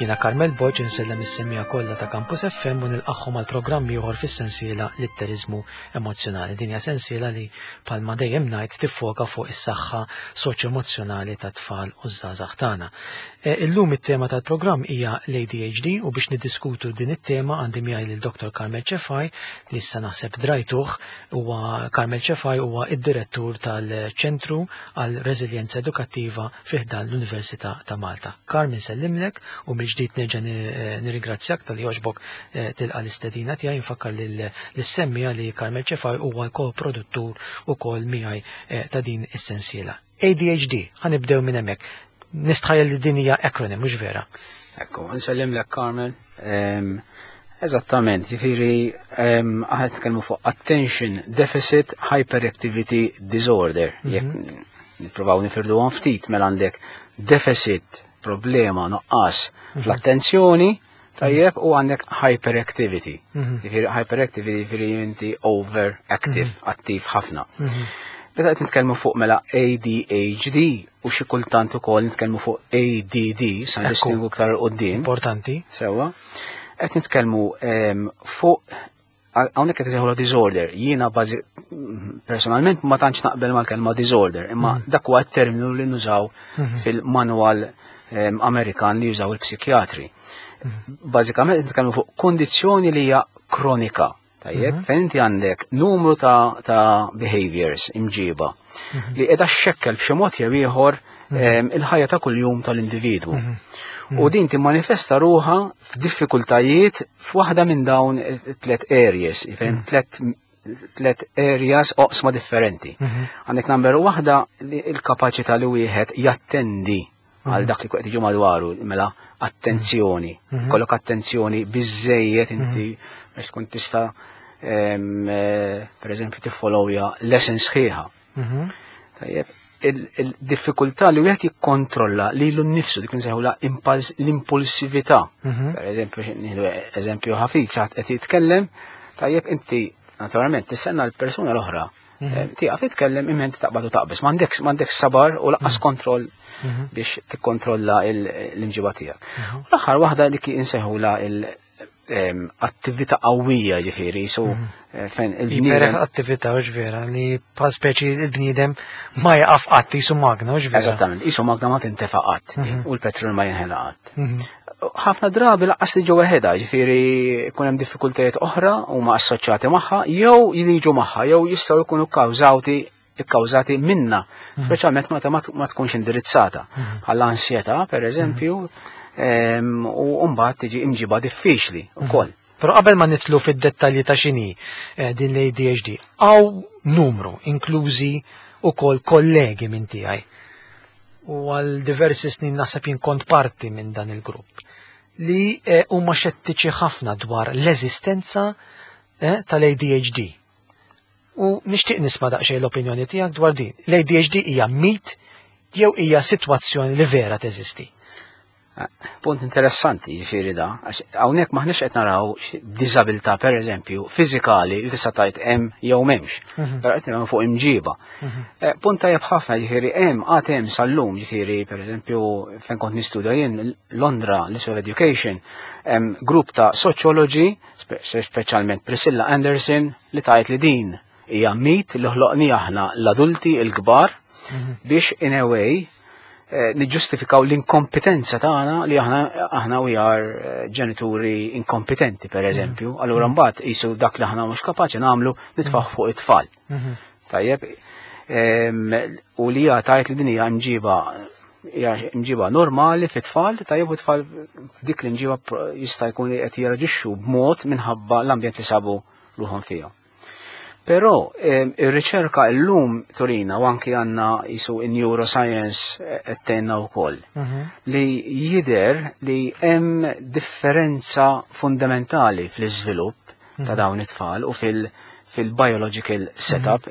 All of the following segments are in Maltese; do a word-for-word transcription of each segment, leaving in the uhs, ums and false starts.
Jiena Carmel Borg insellem is-semmiegħa kollha ta' Campus F M u nilqagħhom għal programm ieħor fis-sensiela Litteriżmu Emozzjonali. Din hija sensiela li, bħalma dejjem ngħid, tiffoka fuq is-saħħa soċjo-emozzjonali tat-tfal u żgħażagħ tagħna. E, illum it-tema tal-programm hija l-A D H D u biex niddiskutu din it-tema għandi miegħi lil Doktor Carmel Cefai, li issa naħseb drajtuh. Huwa Carmel Cefai, huwa id-direttur tal-Ċentru għal Reżiljenza Edukattiva fi ħdan l-Università ta' Malta. Carmel, nsellimlek u mill-ġdid nerġa' nirringrazzjak talli għoġbok eh, tilqa' l-istedina tiegħi. Nfakkar lis-semmiegħa li Carmel Cefai huwa l-ko-produttur ukoll miegħi eh, ta' din is-sensiela. A D H D, ħa nibdew minn hemmhekk. Nistħajjel li din hija acronym, mhux vera? Ekku, nsellimlek, Carmel. Eżattament, jiġifieri aħna nitkellmu fuq Attention Deficit Hyperactivity Disorder. Mhm. Jekk nippruvaw nifirdu ftit, mela għandek deficit, problema, nuqqas mhm. fl-attenzjoni, tajjeb, u għandek hyperactivity. Mhm. Jiġifieri hyperactivity jiġifieri inti overactive, attiv ħafna. Meta qed nitkellmu fuq mela A D H D u xi kultant ukoll nitkellmu fuq A D D, sa nistingu iktar quddiem. Importanti. Sewwa. Qed nitkellmu fuq hawnhekk qed isejħu disorder. Jiena bażi personalment ma tantx naqbel mal-kelma disorder, imma mm. dak huwa t-terminu li nużaw mhm. fil-manual Amerikan li jużaw il-psikjatri. Mhm. Bażikament nitkellmu fuq kondizzjoni li hija kronika. Tajjeb, mhm. fejn inti għandek numru ta', ta behaviors, imġiba, mhm. li qiegħda xxekkel b'xi mod jew ieħor mhm. il-ħajja ta' kuljum tal-individwu. U din timmanifesta ruħha f'diffikultajiet f'waħda minn dawn tliet areas, fejn tliet tliet areas, oqsma differenti. Għandek number waħda, il-kapaċità li wieħed jattendi għal dak li qed jiġu madwaru, mela attenzjoni. Kollok attenzjoni biżejjed inti biex tkun tista' em, eh, per eżempju tiffollowja lesson sħiħa. Tajjeb, il-diffikultà li wieħed jikkontrolla lilu nnifsu, dik nsejħula l-impulsività. Per eżempju, nieħdu eżempju ħafif, xi ħadd qed jitkellem, tajjeb, inti naturalment tistenna l-persuna l-oħra eh, tieqaf titkellem, imma inti taqbad u taqbeż. M'għandekx m'għandekx sabar u lanqas kontroll biex tikkontrolla l-imġiba tiegħek. U l-aħħar waħda dik insejħula l-attività qawwija, ġifieri, so eh, fejn il-bniedem attività, hux vera, li bħal speċi il-bniedem ma jaqaf qatt, qisu magna, hux vera? Eżattament, qisu magna ma tintefa qatt u l-petrol ma jinħela qatt. Ħafna drabi lanqas tiġu weħidha, ġifieri jkun hemm diffikultajiet oħra huma assoċjati magħha jew jiġu magħha jew jistgħu jkunu kkawżati ikkawżati minna, speċjalment meta ma tkunx indirizzata. Bħal ansjetà, per eżempju, u mbagħad tiġi imġiba diffiċli wkoll. Però qabel ma nidħlu fid-dettalji ta' x'inhi eh, din l-A D H D, hawn numru, inklużi ukoll kollegi minn tiegħi. U għal diversi snin naħseb jien kont parti minn dan il-grupp li eh, huma xettiċi ħafna dwar l-eżistenza eh, tal-A D H D. U nixtieq nisma' daqsxejn l-opinjoni tiegħek dwar din. L-A D H D hija mit jew hija sitwazzjoni li vera teżisti? Punt interessanti, ġifieri da, għax hawnhekk maħniex qed naraw diżabilità, per eżempju, fiżikali li tista' tgħid hemm jew m'hemmx. Però qed naraw fuq imġiba. Eh, punt tajjeb ħafna, ġifieri hemm għad hemm sal-lum, ġifieri per eżempju fejn kont nistudja jien Londra, l-Institute of Education, hemm grupp ta' soċjoloġi, speċjalment Priscilla Anderson, li tgħid li din hija mit li ħloqni aħna l-adulti l-kbar biex in a way eh, niġġustifikaw l-inkompetenza tagħna, li aħna aħna we are eh, ġenituri inkompetenti, per eżempju. Allura mbagħad qisu dak li aħna mhux kapaċi nagħmlu nitfgħu fuq it-tfal. Tajjeb, em, u li hija tgħid li din hija mġiba hija mġiba normali fit-tfal, tajjeb, u tfal f'dik l-imġiba pro- jista' jkun qed jirreaġixxu b'mod minħabba l-ambjent li sabu ruħhom fihom. Però em, ir-riċerka llum turina, u anki għandna qisu in neuroscience qed tgħinna wkoll, li jider li hemm differenza fundamentali fl-iżvilupp ta' dawn it-tfal u fil- fil-biological setup.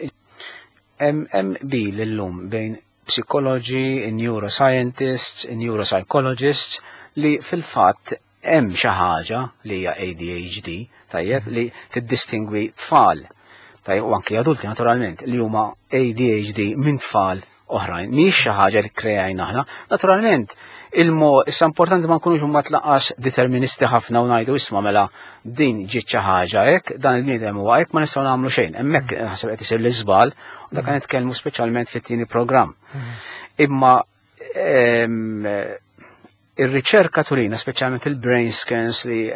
Hemm hemm qbil illum bejn psikoloġi, neuroscientists, neuropsychologists li fil-fatt hemm xi ħaġa li hija A D H D, tajjeb, li tiddistingwi tfal, tajjeb, u anki adulti naturalment, li huma A D H D minn tfal oħrajn. Mhix xi ħaġa li kreajna aħna. Naturalment, Il-mo, issa importanti ma nkunux huma tlaqas deterministi ħafna u ngħidu isma' mela din ġiet xi ħaġa hekk, dan il-bniedem huwa hekk, ma nistgħu nagħmlu xejn. Hemmhekk naħseb qed isir l-iżbal u dak nitkellmu speċjalment fit-tieni programm. Imma ir-riċerka turina, speċjalment il-brain scans li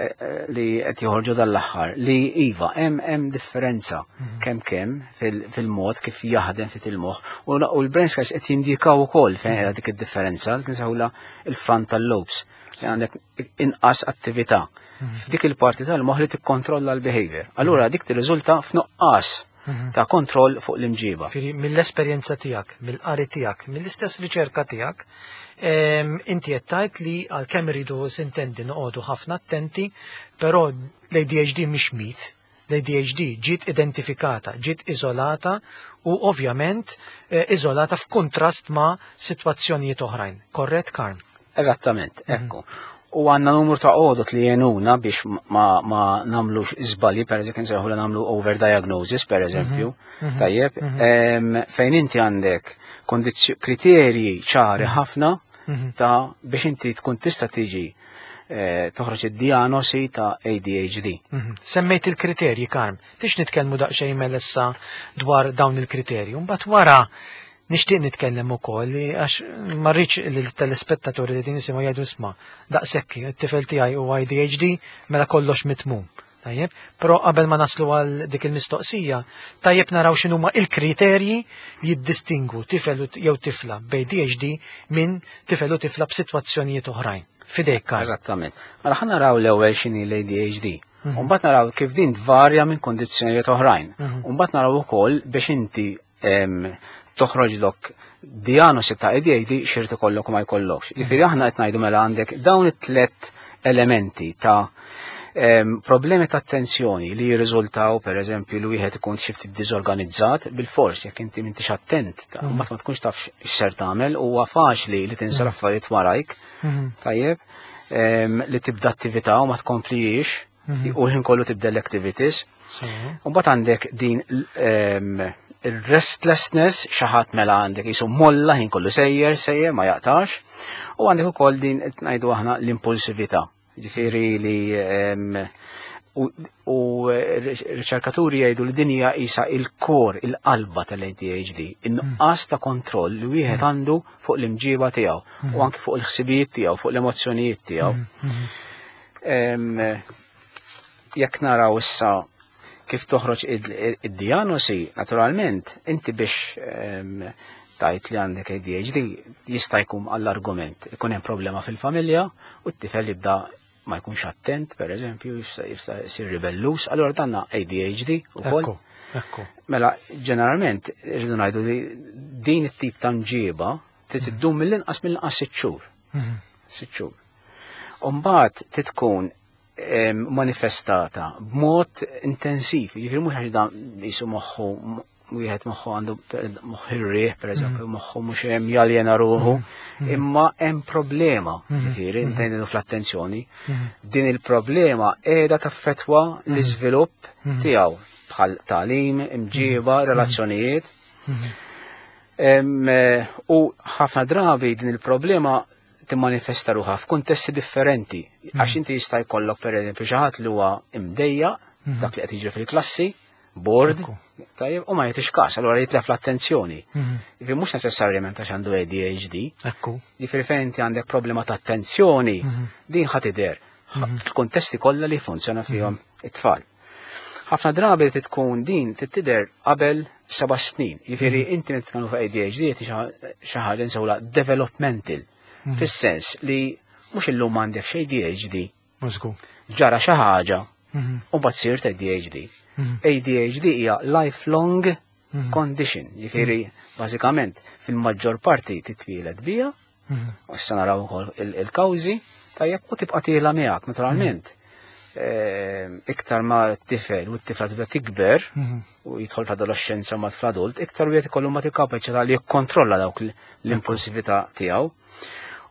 li qed joħorġu dal-aħħar, li iva hemm hemm differenza kemm kemm fil-mod kif jaħdem fit il-moħħ, u l-brain scans qed jindikaw ukoll fejn qiegħda dik id-differenza li tinsawla il-frontal lobes, li għandek inqas attività f'dik il-parti tal-moħħ li tikkontrolla l-behavior. Allura dik tirriżulta f'nuqqas ta' kontroll fuq l-imġiba. Mill-esperjenza tiegħek, mill-qari tiegħek, mill-istess riċerka tiegħek, inti qed tgħid li għalkemm iridu sintendi noqogħdu ħafna attenti, però l-A D H D mhix mit. L-A D H D ġiet identifikata, ġiet iżolata u ovvjament iżolata f'kuntrast ma' sitwazzjonijiet oħrajn. Korrett, Karm? Eżattament, ekku. U għandna numru ta' għodot li jgħinuna biex ma, ma nagħmlux żbalji, per eżempju, nsejħu li nagħmlu overdiagnosis, per eżempju, tajjeb, fejn inti għandek kriterji ċari ħafna ta' biex inti tkun tista' tiġi toħroġ id-diagnosi ta' A D H D. Semmejt il-kriterji, Karm, tix nitkellmu daqsxejn melessa dwar dawn il-kriterji. Mbagħad wara nixtieq nitkellem ukoll għax ma rridx li telespettaturi li din jisimgħu jgħidu isma' daqshekk it-tifel tiegħi huwa A D H D, mela kollox mitmum. Tajjeb, però qabel ma naslu għal dik il-mistoqsija, tajjeb naraw x'inhuma il-kriterji li jiddistingu tifel jew tifla b'A D H D minn tifel u tifla b'sitwazzjonijiet oħrajn. Fidejk, Karl. Eżattament. Mela ħa naraw l-ewwel x'inhi l-A D H D. U mbagħad naraw kif din tvarja minn kondizzjonijiet oħrajn. U mbagħad naraw ukoll biex inti toħroġlok diagnosi ta' A D H D x'irid ikollok u ma jkollokx. Jiġifieri aħna qed ngħidu mela għandek dawn it-tlet elementi ta' problemi ta' attenzjoni li jirriżultaw, per eżempju, li wieħed ikun xi ftit diżorganizzat bil-fors, jekk inti m'intix attent, mbagħad ma tkunx taf x'ser tagħmel, huwa faċli li tinsa l-affarijiet warajk, tajjeb, li tibda attività u ma tkomplijiex u l-ħin kollu tibda l-activities. U mbagħad għandek din il-restlessness, xi ħadd mela għandek jisu molla, ħin kollu sejjer, sejjer, ma jaqtax. U għandek ukoll din ngħidu aħna l-impulsività. Ġifieri li u, u riċerkaturi jgħidu li din hija isa il-core, il-qalba tal-A D H D, in-nuqqas ta' kontroll li wieħed għandu fuq l-imġiba tiegħu u anke fuq il-ħsibijiet tiegħu, fuq l-emozzjonijiet tiegħu. Jekk naraw issa kif toħroġ id-diagnosi, naturalment, inti biex tajt li għandek A D H D jista' jkun għall-argument, ikun hemm problema fil-familja u t-tifel jibda ma jkunx attent, per eżempju, jista' jsir ribellus, allura danna A D H D ukoll. Ekku. Mela, ġeneralment, rridu ngħidu li din it-tip ta' mġiba trid iddum mill-inqas mill-inqas sitt xhur. Sitt xhur. U mbagħad tkun manifestata b'mod intensiv, jiġifieri mhux għax dan jisu moħħu, wieħed moħħu għandu moħħ ir-riħ, per eżempju, moħħu mhux hemm, jaljena ruħu, imma hemm problema, ġifieri, ntejnu fl-attenzjoni. Din il-problema qiegħda taffettwa l-iżvilupp tiegħu bħal tagħlim, imġiba, relazzjonijiet. U ħafna drabi din il-problema timmanifesta ruħha f'kuntesti differenti. Għax inti jista' jkollok, per eżempju, xi ħadd li huwa imdejja dak li qed jiġri fil-klassi, bored, tajjeb, u ma jagħtix każ, allura jitlef l-attenzjoni. Jiġifieri mhux neċessarjament għax għandu A D H D. Ekku. Jiġifieri fejn inti għandek problema ta' attenzjoni, din ħa tidher fil-kontesti kollha li funzjona fihom it-tfal. Ħafna drabi li tkun din tidher qabel seba' snin. Jiġifieri inti nitkellmu fuq A D H D xi ħaġa nsewla developmental. Fis-sens li mhux illum għandek xi A D H D. Mużgu. Ġara xi ħaġa u mbagħad sirt A D H D. A D H D hija lifelong condition, jiġifieri bażikament fil-maġġor parti titwieled biha, u issa naraw ukoll il-kawżi, tajjeb, u tibqa' tiela miegħek naturalment. Iktar ma t-tifel u t-tifla tibda tikber u jidħol fl-adolescenza ma fl-adult, iktar wieħed ikollu ma il-kapaċità li jikkontrolla dawk l-impulsività tiegħu.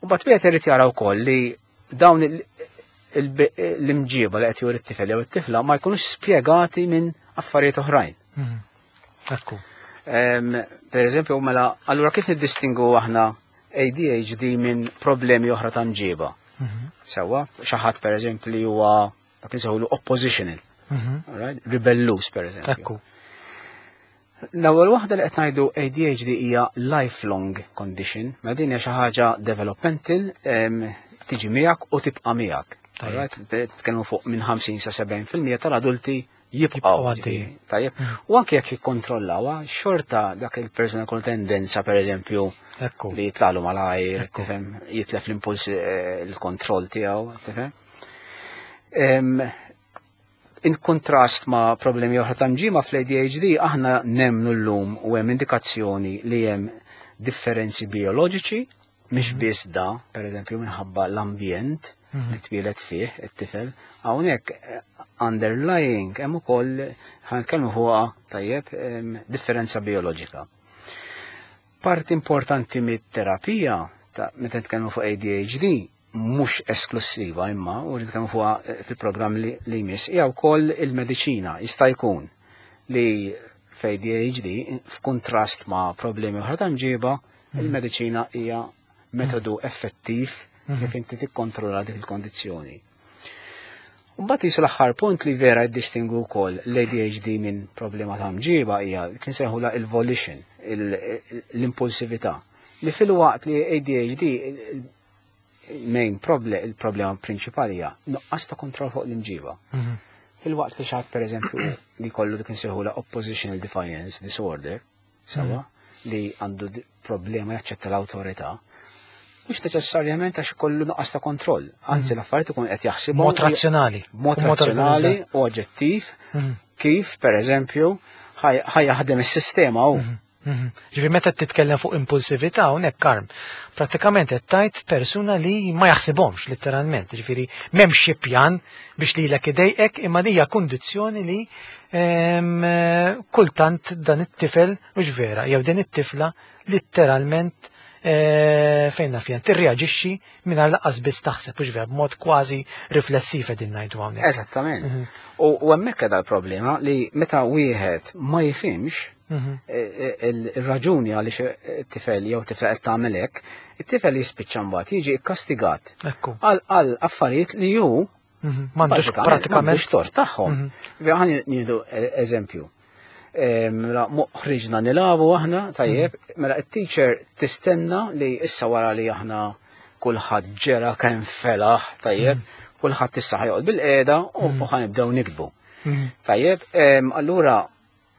U mbagħad wieħed irid jara wkoll li dawn l-imġiba li qed juri t-tifel jew it-tifla ma jkunux spjegati minn affarijiet oħrajn. Ekku. Per eżempju, mela, allura kif niddistingu aħna A D H D minn problemi oħra ta' mġiba. Sewwa, xi ħadd per eżempju li huwa dak li nsejħulu oppositional, alright? Ribelluż, per eżempju. Ekku. L-ewwel waħda li qed ngħidu, A D H D hija lifelong condition, ma din hija xi ħaġa developmental, em, tiġi miegħek u tibqa' miegħek. Tajjeb. Alright? Nitkellmu fuq minn ħamsin sa sebgħin fil-mija tal-adulti jibqgħu. Jibqgħu għaddejjin. Tajjeb. U anke jekk jikkontrollawha, xorta dak il-persuna kull tendenza, per eżempju, Ekku. li jitlalu malajr, Ekku. tifhem, jitlef l-impuls, eh, il-kontroll tiegħu, tifhem. Em, In kontrast ma' problemi oħra ta' mġiba, fl-A D H D aħna nemnu llum u hemm indikazzjoni li hemm differenzi bioloġiċi, mhix biss da, per eżempju, minħabba l-ambjent li twieled fih it-tifel. Hawnhekk eh, underlying hemm ukoll, ħa nitkellmu fuqha, tajjeb, em, differenza bioloġika. Parti importanti mit-terapija ta' meta nitkellmu fuq A D H D, mhux esklusiva imma u nitkellmu fuqha eh, fil-programm li, li jmiss, hija wkoll il-mediċina. Jista' jkun li f'A D H D, f'kuntrast ma' problemi oħra ta' mġiba, il-mediċina hija metodu effettiv kif inti tikkontrolla dik il-kondizzjoni. Mbagħad jisu l-aħħar punt li vera jiddistingu wkoll l-A D H D minn problema ta' mġiba hija kien sejħula il-volition, l-impulsività. Li filwaqt li A D H D il-main problem, il-problema prinċipali hija nuqqas ta' kontroll fuq l-imġiba. Filwaqt li xi ħadd, per eżempju, li kollu dik insejħula oppositional defiance disorder, sewwa, li għandu problema jaċċetta l-awtorità, mhux neċessarjament għax kollu nuqqas ta' kontroll. Anzi, l-affarijiet ikun qed jaħsibhom Mod razzjonali. Mod razzjonali u oġġettiv kif, per eżempju, ħa jaħdem is-sistema u. Ġifieri meta titkellem fuq impulsività hawnhekk, Karm, prattikament qed tgħid persuna li ma jaħsibhomx letteralment, ġifieri m'hemmx xi pjan biex lilek idejqek, imma hija kundizzjoni li kultant dan it-tifel, mhux vera, jew din it-tifla letteralment e, fejn naf jien tirreaġixxi mingħajr lanqas biss taħseb, mhux vera, b'mod kważi riflessiv qegħdin ngħidu hawnhekk. Eżattament. Mhm. U hemmhekk qiegħda l-problema li meta wieħed ma jifhimx mhm. e, e, il-raġuni għaliex it-tifel jew tifel qed tagħmel hekk, it-tifel jispiċċa mbagħad jiġi kkastigat għal affarijiet li hu mhm. m'għandux pratikament tort tagħhom. Ħa nieħdu eżempju. Mela ħriġna nilagħbu aħna, tajjeb, mela it-teacher tistenna li issa wara li aħna kulħadd ġera kemm felaħ, tajjeb, kulħadd issa ħa joqgħod bilqiegħda u ħa nibdew niktbu. Tajjeb, allura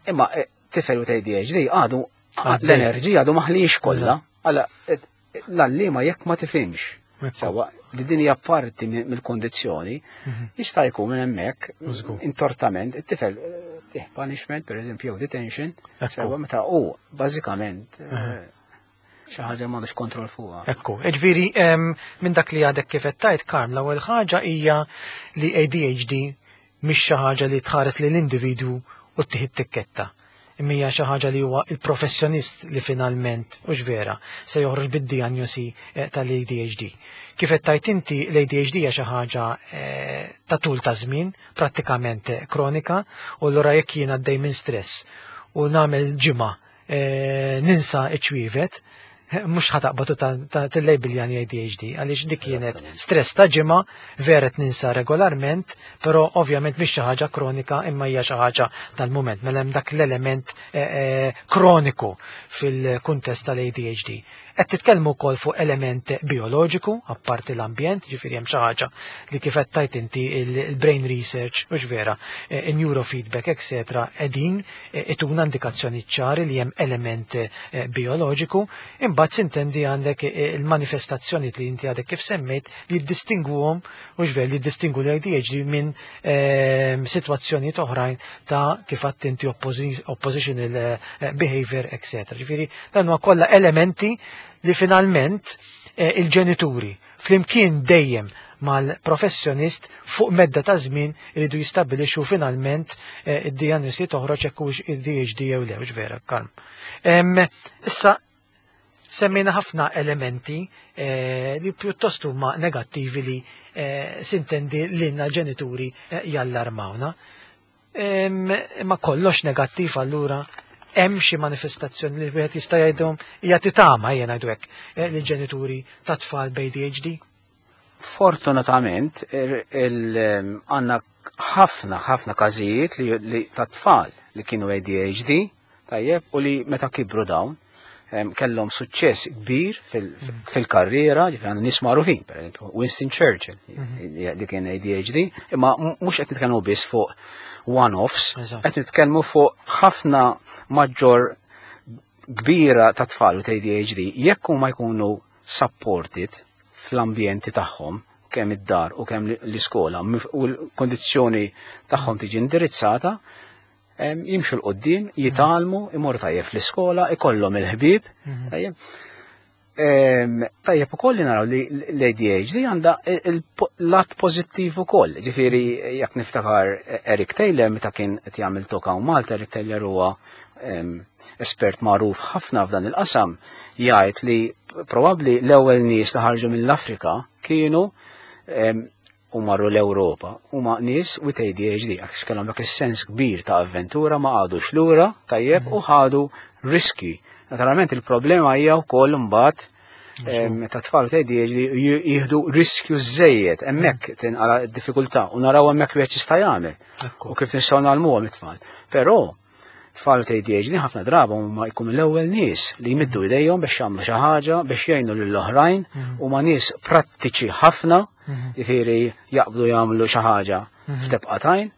imma e, tifel u A D H D għadu l-enerġija għadu ma ħaliex kollha, għala l-għalliema jekk ma tifhimx. Sewwa, li din hija parti mill-kondizzjoni, jista' jkun minn hemmhekk intortament it-tifel eh, punishment, per eżempju, jew detention, sewwa, meta u bażikament eh, xi ħaġa m'għandux kontroll fuqha. Ekku, ġifieri minn dak li għadek kif qed tgħid, Karm, l-ewwel ħaġa hija li A D H D mhix xi ħaġa li tħares lil individwu u ttih tikketta. Imma hija xi ħaġa li huwa il-professjonist li finalment, u vera, se joħroġ bid-diagnosi eh, tal-A D H D. Kif qed tgħid inti, l-A D H D hija xi ħaġa eh, ta' tul ta' żmien, prattikament eh, kronika, u allura jekk jien għaddej minn stress u nagħmel ġimgħa ninsa iċ-ċwievet, mhux ħa taqbad tillejbiljani A D H D, għaliex dik kienet stress ta' ġimgħa, vera ninsa regolarment, però ovvjament mhix xi ħaġa kronika imma hija xi ħaġa tal-mument. Mela hemm dak l-element eh, eh, kroniku fil-kuntest tal-A D H D. Qed titkellmu wkoll fuq element bioloġiku, apparti l-ambjent, ġifieri hemm xi ħaġa li kif qed tgħid inti il-brain research, mhux vera, eh, neurofeedback, et cetera qegħdin ituna indikazzjoni ċari li hemm element bioloġiku, imbagħad sintendi għandek il-manifestazzjoni li inti għadek kif semmejt li jiddistinguhom, mhux vera, li jiddistingu l-A D H D minn sitwazzjonijiet oħrajn ta' kif għedt inti oppositional behavior, et cetera. Ġifieri dan huwa kollha elementi li finalment eh, il-ġenituri flimkien dejjem mal-professjonist fuq medda ta' żmien iridu jistabbilixxu finalment eh, id-diagnosi toħroġ hekk hux A D H D jew le, vera, Karm. Issa semmejna ħafna elementi eh, li pjuttost huma negattivi li sintendi lilna ġenituri jallarmawna. Ma kollox negattiv allura? Hemm xi manifestazzjoni li wieħed jista' jgħidhom hija titama ejja ngħidu hekk eh, lill-ġenituri ta' tfal b'A D H D? Fortunatament għandna ħafna ħafna każijiet li, li ta' tfal li kienu A D H D, tajjeb, u li meta kibru dawn kellhom suċċess kbir fil-karriera, ġifieri għandna nies magħrufin, per esempio Winston Churchill mhm. li kien A D H D, imma mhux qed nitkellmu biss fuq one-offs, qed nitkellmu fuq ħafna maġġor kbira ta' tfal u A D H D jekk huma jkunu supported fl-ambjenti tagħhom, kemm id-dar u kemm l-iskola, u l-kondizzjoni tagħhom tiġi indirizzata, jimxu 'l quddiem, jitgħallmu, imorru tajjeb fl-iskola, ikollhom il-ħbieb, mhm. tajjeb. Tajjeb ukoll li naraw li l-A D H D għandha il-lat pożittiv ukoll. Ġifieri jekk niftakar Eric Taylor meta kien qed jagħmel talk Malta, Eric Taylor huwa espert magħruf ħafna f'dan il-qasam, jgħid li probabbli l-ewwel nies li ħarġu mill-Afrika kienu u marru l-Ewropa huma nies with A D H D, għax kellhom dak is-sens kbir ta' avventura, ma qagħdux lura, tajjeb, u ħadu riski. Naturalment il-problema hija wkoll imbagħad meta tfal ta' A D H D jieħdu riskju żejjed, hemmhekk tinqala d-diffikultà u naraw hemmhekk wieħed jista' jagħmel u kif nistgħu ngħallmuhom it-tfal. Però tfal ta' A D H D ħafna drabi huma jkunu l-ewwel nies li jmiddu idejhom biex jagħmlu xi ħaġa, biex jgħinu lill-oħrajn, mhm. huma nies prattiċi ħafna, mhm. jifieri jaqbdu jagħmlu xi ħaġa mhm. f'tebqa t'għajn.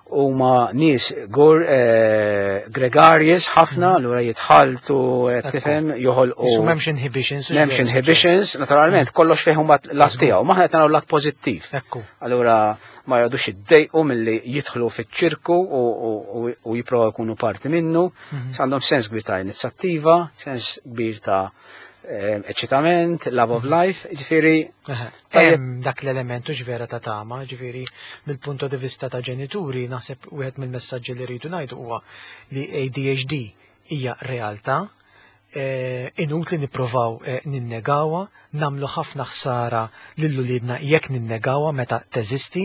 Huma nies gur eh, gregarious ħafna, allura jitħaltu, eh, tifhem, joħolqu. Isu m'hemmx inhibitions. M'hemmx inhibitions, naturalment, kollox fih huma lat tiegħu, ma qed naraw lat pożittiv. Ekku. Allura ma jgħodux jiddejqu milli jidħlu fiċ-ċirku u, u jipprovaw jkunu parti minnu. Għandhom sens kbir ta' inizjattiva, sens kbir ta' eh, eċitament, love of life, ġifieri Eħe. Tajjeb. Hemm dak l-elementu ġvera ta' tama, ġifieri mill-punto di vista ta' ġenituri, naħseb wieħed mill-messaġġi li rridu ngħidu huwa li A D H D hija realtà, eh, inutli nippruvaw eh, ninnegawha, nagħmlu ħafna ħsara lil uliedna jekk ninnegawha meta teżisti.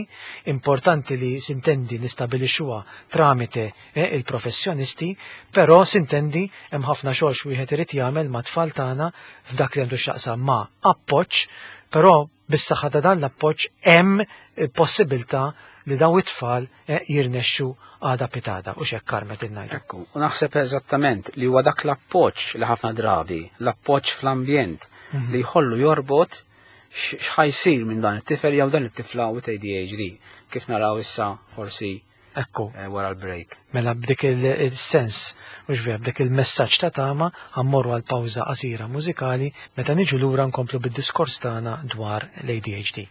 Importanti li sintendi nistabilixxuha tramite eh, il-professjonisti, però sintendi hemm ħafna xogħol x'wieħed irid jagħmel ma' tfal tagħna f'dak li għandu x'jaqsam ma' appoġġ, però bis-saħħa ta' dan l-appoġġ hemm il-possibilità li daw it-tfal eh, jirnexxu għada pitgħada u xek karmet il-najdu. Ekku, u naħseb eżattament li huwa dak l-appoġġ li ħafna drabi, l-appoġġ fl-ambjent li jħollu jorbot x- x'ħa jsir minn dan it-tifel jew dan it-tifla with A D H D. Kif naraw issa forsi Ekku, eh, wara l-break. Mela b'dik il-sens, u ġvera b'dik il-messaġġ ta' tama, ħa mmorru għal pawża qasira mużikali, meta niġu lura nkomplu bid-diskors tagħna dwar l-A D H D.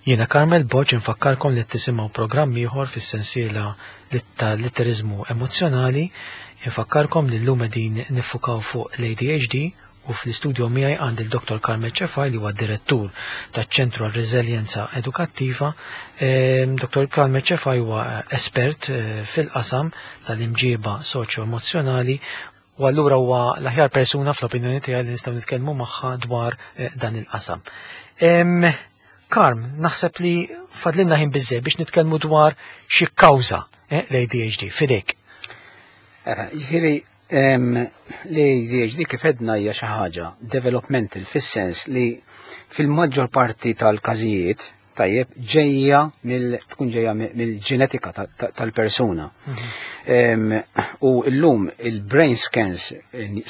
Jiena Carmel Boċ infakkarkom li tisimgħu programm ieħor fis-sensiela tal-litteriżmu emozzjonali. Infakkarkom li llum qegħdin niffukaw fuq l-A D H D u fl-istudio miegħi għandi il-Dottor Carmel Cefai, li huwa direttur taċ-Ċentru għal Reżiljenza Edukattiva. Ehm, Dottor Carmel Cefai huwa espert eh, fil-qasam tal-imġiba soċjo-emozzjonali u allura huwa l-aħjar persuna fl-opinjoni tiegħi li nistgħu nitkellmu magħha dwar eh, dan il-qasam. Ehm, Karm, naħseb li fadlinna ħin biżżejjed biex nitkellmu dwar xi kawża eh, l-A D H D, fidejk. Ġifieri, l-A D H D kif għedna hija xi ħaġa developmental, fis-sens li fil-maġġor parti tal-każijiet, tajjeb, ġejja mill tkun ġejja mill-ġenetika tal-persuna. Mhm. U llum il-brain scans,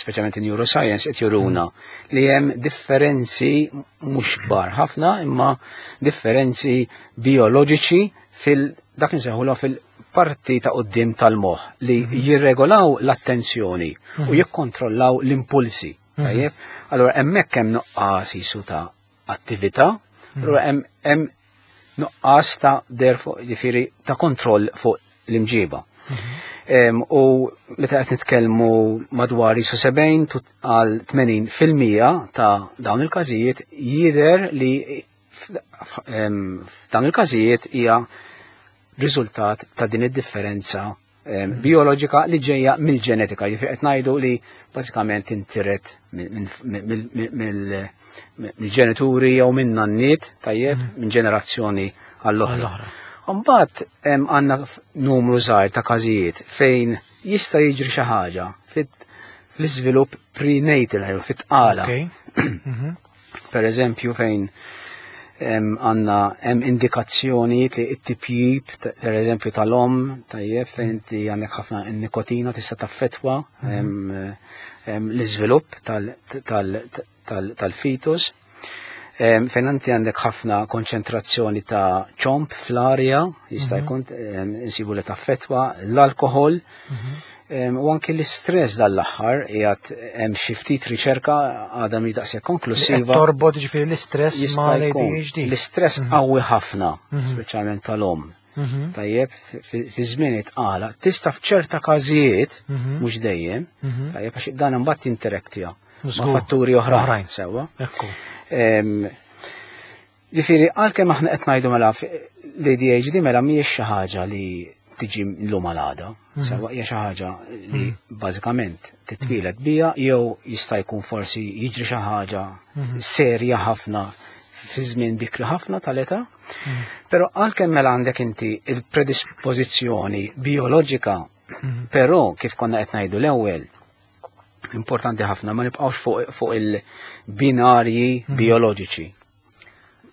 speċjalment in neuroscience, qed juruna mhm. li hemm differenzi mhux kbar ħafna, imma differenzi bioloġiċi fil dak insejħulha fil-parti ta' quddiem tal-moħħ li mhm. jirregolaw l-attenzjoni u jikkontrollaw l-impulsi. Tajjeb, allora hemmhekk hemm nuqqas jisu ta' attività. Allura hemm nuqqas ta' der ġifieri ta' kontroll fuq l-imġiba. Mhm. U meta qed nitkellmu madwar jisu sebgħin għal tmenin fil-mija ta' dawn il-każijiet, jidher li f'dawn il-każijiet hija riżultat ta' din id-differenza mhm. bioloġika li ġejja mill-ġenetika, jiġifieri qed ngħidu li bażikament intiret mill mill-ġenituri jew minn nanniet, tajjeb, mhm. minn ġenerazzjoni għall-oħra. Mbagħad għandna numru żgħir ta' każijiet fejn jista' jiġri xi ħaġa fl-iżvilupp prenatal, fit-tqala. Mhm. Per eżempju, fejn għandna hemm indikazzjoni li t-tipjib, per eżempju, tal-om, tajjeb, fejn inti għandek ħafna nikotina tista' taffetwa mhm. l-iżvilupp tal-fetus. Fejn inti għandek ħafna konċentrazzjoni ta' ċomb fl-arja, jista' mhm. jkun insibu li taffetwa l-alkohol, mhm. u anki l-istress. Dal-aħħar qiegħed hemm xi ftit riċerka, għadha mhi daqshekk konklusiva. Torbot ġifieri l-istress ma' l-A D H D. L-istress mhm. qawwi ħafna, speċjalment tal-om. Tajjeb, fi żmien it-tqala, tista' f'ċerta każijiet, mhux dejjem, tajjeb, għax dan imbagħad jinteraktja ma' fatturi oħrajn. Sewwa. Ġifieri, għalkemm aħna qed ngħidu mela l-A D H D mela mhijiex xi ħaġa li tiġi llum għal għada. Mhm. Sewwa, hija xi ħaġa li mhm. bażikament titwieled biha jew jista' jkun forsi jiġri xi ħaġa mhm. serja ħafna fi żmien bikri ħafna tal-età. Però għalkemm mela għandek inti il-predispożizzjoni bioloġika, però kif konna qed ngħidu l-ewwel, importanti ħafna ma nibqgħux fuq, fuq il-binarji mm. bioloġiċi.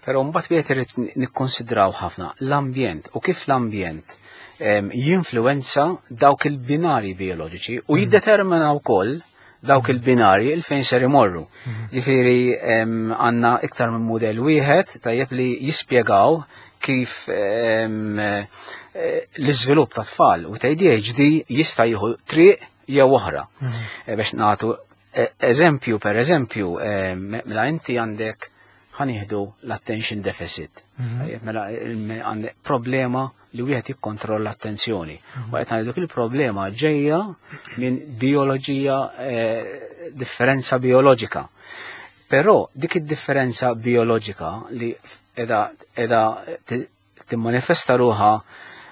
Però mbagħad wieħed irid nikkonsidraw ħafna l-ambjent u kif l-ambjent jinfluwenza dawk il-binarji bioloġiċi u mm. jiddetermina wkoll dawk il-binarji il fejn ser imorru. Mm. Ġifieri għandna iktar minn mudell wieħed, tajjeb, li jispjegaw kif eh, l-iżvilupp ta' tfal u ta' A D H D jista' jieħu triq jew oħra. Mhm. Eh, biex nagħtu eh, eżempju, per eżempju, eh, mela inti għandek, ħa nieħdu l-attention deficit. Mhm. Mela għandek problema li wieħed jikkontrolla l-attenzjoni. Mhm. U qed ngħidu il-problema ġejja minn bioloġija, differenza bioloġika. Però dik id-differenza bioloġika li edha edha timmanifesta ruħha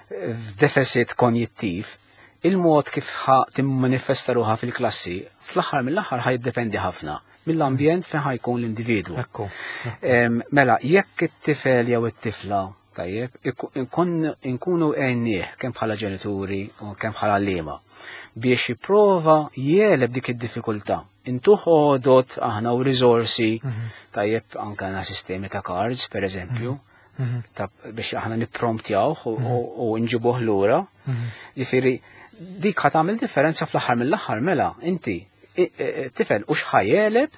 f'deficit konjittiv, il-mod kif ħa timmanifesta ruħha fil-klassi, fl-aħħar mill-aħħar ħa jiddependi ħafna mill-ambjent fejn ħa jkun l-individwu. Mela, jekk it-tifel jew it-tifla, tajjeb, inkunu għennieh kemm bħala ġenituri u kemm bħala għalliema biex jipprova jegħleb dik id-diffikultà. Intuh għodot aħna u risorsi, mhm. tajjeb, anka għandna sistemi ta' cards, per eżempju, mhm. Mhm. ta' biex aħna nippromptjawh u nġibuh lura. Ġifieri, dik ħa tagħmel differenza fl-aħħar mill-aħħar mela inti tifel u x'ħa jegħleb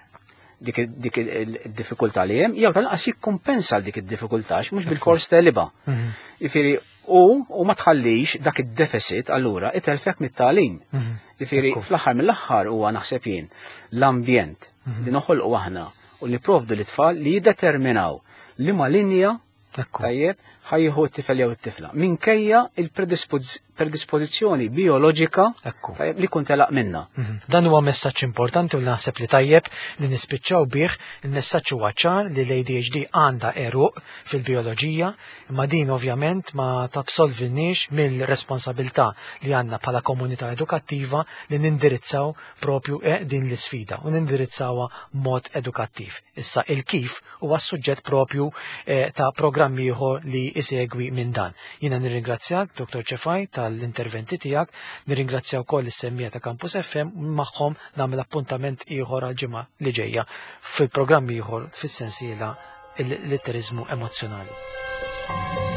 dik id-diffikultà li hemm jew tal-qas jikkumpensa dik id-diffikultà, mhux bil-fors tegħlibha. Mhm. Ġifieri u u ma tħallix dak id-deficit allura itelfek mit-tagħlim. Mhm. Ġifieri fl-aħħar mill-aħħar huwa, naħseb jien, l-ambjent mhm. li noħolqu aħna u li provdu l-tfal li jiddeterminaw li ma linja Ekku. Tajjeb, ħa jieħu t-tifel jew it-tifla. Minkejja il-predispożizzjoni bioloġika Ekku. tajjeb li kun telaq minna. Mhm. Dan huwa messaġġ importanti u naħseb li tajjeb li nispiċċaw bih. Il-messaġġ huwa ċar li l-A D H D għandha għeruq fil-bioloġija, imma din ovvjament ma tabsolvinniex mill-responsabilità li għandna bħala komunità edukattiva li nindirizzaw propju eh, din l-isfida u nindirizzawha mod edukattiv. Issa il-kif huwa suġġett propju eh, ta' programm ieħor li isegwi minn dan. Jiena nirringrazzjak, Dottor Cefai, tal-interventi tiegħek, nirringrazzja wkoll is-semmiegħa ta' Campus F M, magħhom nagħmel appuntament ieħor għal ġimgħa li ġejja fil-programm ieħor fis-sensiela il-litterizmu emozzjonali.